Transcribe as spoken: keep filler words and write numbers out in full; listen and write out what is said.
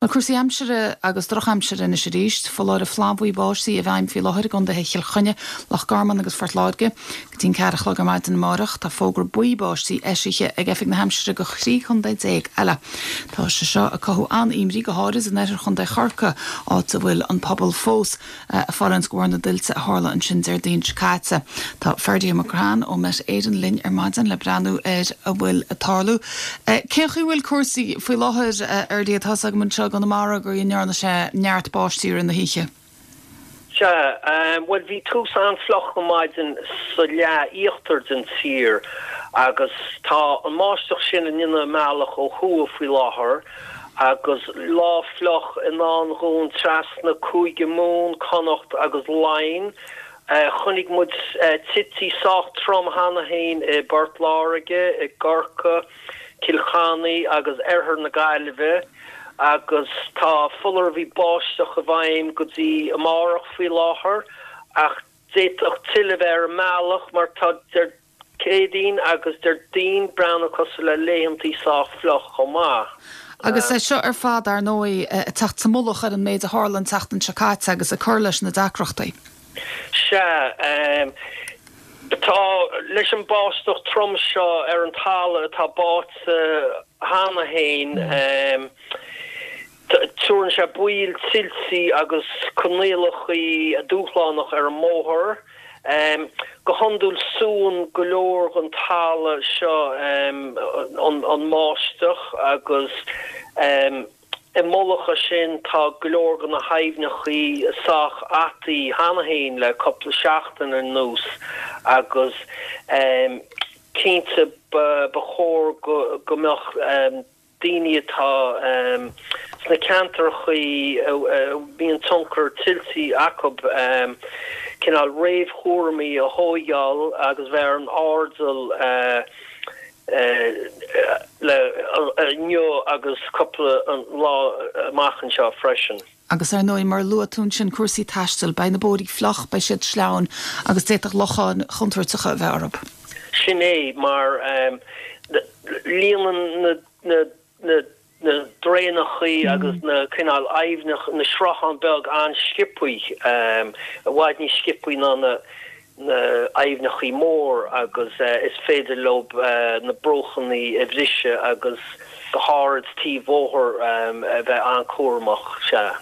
Na cúrsaí aimsire agus drochaimsir anois arís, foláireamh flannbhuí báistí i bhfeidhm faoi láthair i gcontaetha Chill Chainnigh, Loch Garman agus Phort Láirge. Go dtí an ceathair a chlog ar maidin amárach, tá fógra buí báistí eisithe ag Oifig na hAimsire do thrí chontae déag eile. Tá sé seo ag cothú an-imní go háirid in oirthear chontae Chorcaí, áit a bhfuil an pobal fós ag fulaingt de bharr na dtuilte a tharla ansin Déardaoin seo caite. Tá Ferdia McGrahan ó Met Éireann linn ar maidin le breathnú ar a bhfuil ag tarlú. Cén chaoi a bhfuil cúrsaí faoi láthair Ferdia tá agam anseo Conamara gur ndearna sé neart báistí na hoíche. Sea, bhuel bhí tús an-fhliuch ar maidin sa leath íochtar den tír agus tá an bháisteach sin ag déanamh a mbealach ó thuaidh faoi láthair agus lá fliuch i ndán dúinn trasna Cúige Mumhan, Connacht agus Laighin. Chonaic muid tuilte sách trom cheana féin i bPort Láirge, i gCorcaigh, Cill Chainnigh agus oirthear na Gaillimhe. agus tá foláireamh báisteach i bhfeidhm go dtí amárach faoi láthair ach d'fhéadfadh tuilleadh bheith ar an mbealach mar tá Céadaoin agus Déardaoin breathnú cosúil le laethantaí sách fliuch chomh maith. Agus é seo ar fad ar ndóigh teacht sa mullach ar an méid a tharla an tseachtain seo caite agus ag cur leis na deacrachtaí. Sea tá leis an báisteach trom seo ar an talamh atá báite cheana féin Tugann sé baol tuilte agus coinníollacha dúshlánach ar an mbóthar. Go hiondúil súnn go leor den talamh seo an bháisteach agus i mullach air sin tá go leor de na haibhneacha sách ataí cheana féin le cúpla seachtain anuas agus cinnte ba chóir go mbeadh daoine atá sna ceantracha a mbíonn tionchar tuilte acu cineál réamhchúraimí a thógáil agus bheith ar an airdeall le inniu agus cúpla lá amach anseo freisin. Agus ar ndóigh mar luaigh tú ansin cúrsaí taistil, beidh na bóithre fliuch, beidh siad sleamhain agus d'fhéadfadh locháin chontúirteacha a bheith orthu. Sin é mar líonann na na na na draenachaí agus na cineál aibhneacha na srutháin beag an-sciobtha i bhfad níos sciobtha ná na na aibhneachaí mór agus is féidir leo na bruachanna a bhriseadh agus go háirid taobh bóthair a bheith an-chúramach sea.